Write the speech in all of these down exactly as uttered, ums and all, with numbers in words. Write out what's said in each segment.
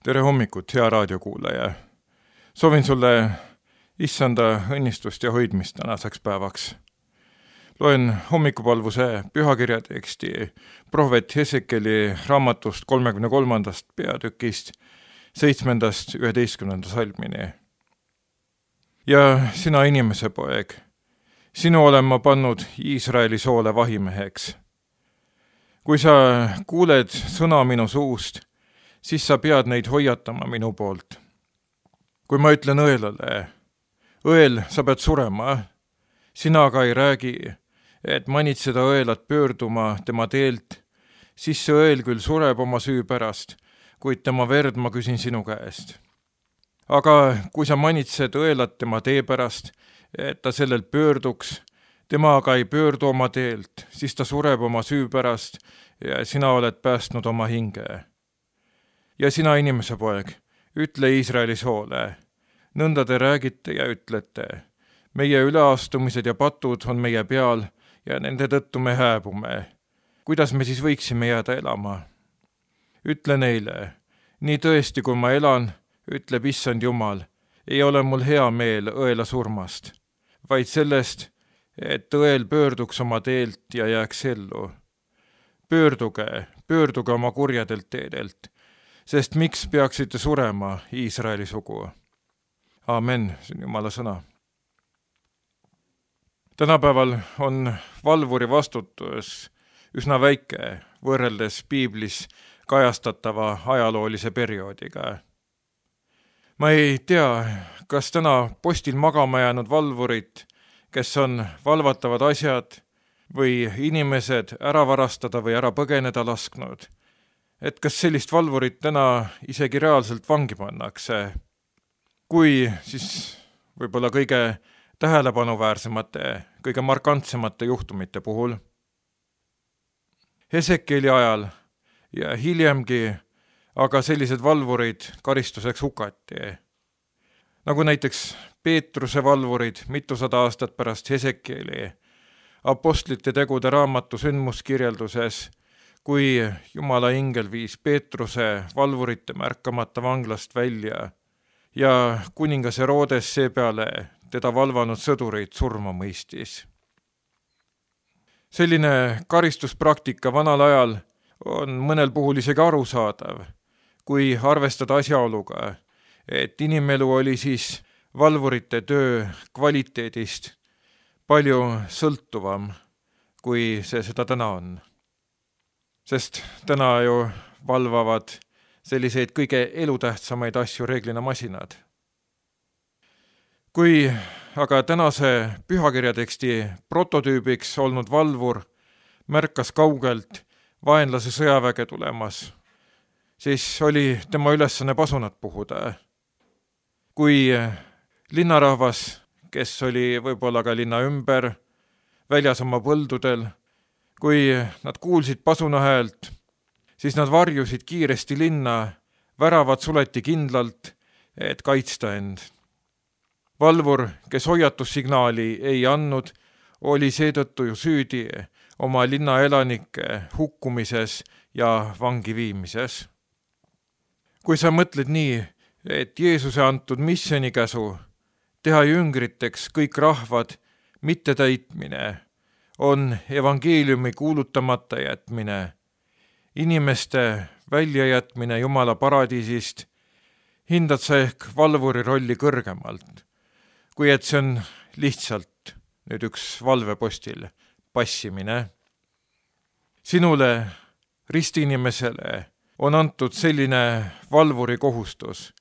tere hommikut, hea raadiokuulaja! Soovin sulle issanda õnnistust ja hoidmist tänaseks päevaks. Loen hommikupalvuse pühakirja teksti prohvet Hesekeli raamatust kolmekümne kolmandast peatükist seitsmendast üheteistkümnenda salmini. Ja sina inimese poeg, sinu olen ma pannud Iisraeli soole vahimeheks. Kui sa kuuled sõna minu suust, siis sa pead neid hoiatama minu poolt. Kui ma ütlen õelale, õel, sa pead surema, sina aga ei räägi, et manitseda õelat pöörduma tema teelt, siis see õel küll sureb oma süü pärast, kuid tema verd ma küsin sinu käest. Aga kui sa manitsed õelat tema tee pärast, et ta sellelt pöörduks, tema aga ei pöördu oma teelt, siis ta sureb oma süü pärast ja sina oled päästnud oma hinge. Ja sina inimese poeg, ütle Iisraeli soole, nõnda te räägite ja ütlete, meie üleastumised ja patud on meie peal ja nende tõttu me hääbume. Kuidas me siis võiksime jääda elama? Ütle neile, nii tõesti kui ma elan, ütleb issand Jumal, ei ole mul hea meel õela surmast, vaid sellest, et õel pöörduks oma teelt ja jääks ellu. Pöörduge, pöörduge oma kurjadelt teedelt, sest miks peaksite surema Iisraeli sugu? Amen, see on Jumala sõna. Tänapäeval on valvuri vastutus üsna väike võrreldes piiblis kajastatava ajaloolise perioodiga. Ma ei tea, kas täna postil magama jäänud valvurid, kes on valvatavad asjad või inimesed ära varastada või ära põgeneda lasknud, et kas sellist valvurit täna isegi reaalselt vangi pannakse, kui siis võib-olla kõige tähelepanuväärsemate, kõige markantsemate juhtumite puhul. Hesekeli ajal ja hiljemgi aga sellised valvurid karistuseks hukati. Nagu näiteks Peetruse valvurid mitusada aastat pärast Hesekeli apostlite tegude raamatu sündmuskirjelduses, kui Jumala ingel viis Peetruse valvurite märkamata vanglast välja ja kuningas Herodes seepeale teda valvanud sõdureid surma mõistis. Selline karistuspraktika vanal ajal on mõnel puhul isegi arusaadav, kui arvestada asjaoluga, et inimelu oli siis valvurite töö kvaliteedist palju sõltuvam, kui see seda täna on. Sest täna ju valvavad selliseid kõige elutähtsamaid asju reeglina masinad. Kui aga tänase pühakirjateksti prototüübiks olnud valvur märkas kaugelt vaenlase sõjaväge tulemas, siis oli tema ülesanne pasunat puhuda. Kui linnarahvas, kes oli võib-olla ka linna ümber, väljas oma põldudel, kui nad kuulsid pasuna häält, siis nad varjusid kiiresti linna, väravad suleti kindlalt, et kaitsta end. Valvur, kes hoiatussignaali ei andnud, oli seetõttu ju süüdi oma linna elanike hukkumises ja vangi viimises. Kui sa mõtled nii, et Jeesuse antud missionikäsu teha jüngriteks kõik rahvad mitte täitmine on evangeeliumi kuulutamata jätmine, inimeste väljajätmine Jumala paradiisist, hindad sa ehk valvuri rolli kõrgemalt, kui et see on lihtsalt nüüd üks valvepostil passimine. Sinule, ristiinimesele, on antud selline valvuri kohustus,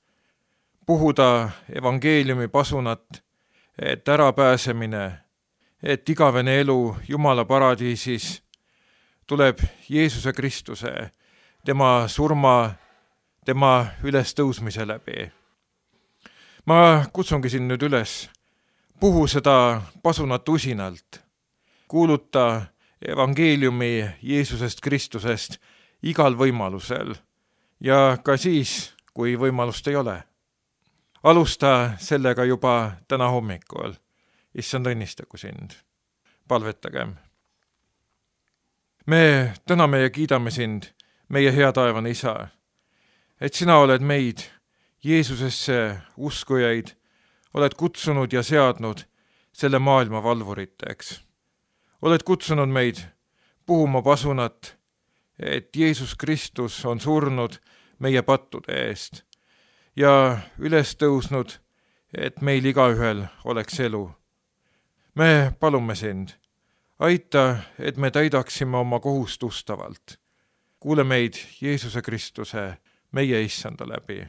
puhuda evangeeliumi pasunat, et ärapääsemine, et igavene elu Jumala paradiisis tuleb Jeesuse Kristuse, tema surma, tema ülestõusmise läbi. Ma kutsungi siin nüüd üles, puhu seda pasunat usinalt, kuuluta evangeeliumi Jeesusest Kristusest igal võimalusel ja ka siis, kui võimalust ei ole. Alusta sellega juba täna hommikul. Issand õnnistagu sind. Palvetagem. Me täname ja kiidame sind, meie hea taevane isa, et sina oled meid, Jeesusesse uskujaid, oled kutsunud ja seadnud selle maailma valvuriteks. Oled kutsunud meid puhuma pasunat, et Jeesus Kristus on surnud meie pattude eest ja üles tõusnud, et meil igaühel oleks elu. Me palume sind, aita, et me täidaksime oma kohust ustavalt. Kuule meid Jeesuse Kristuse, meie issanda läbi.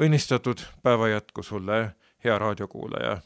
Õnnistatud päeva jätku sulle, hea raadiokuulaja.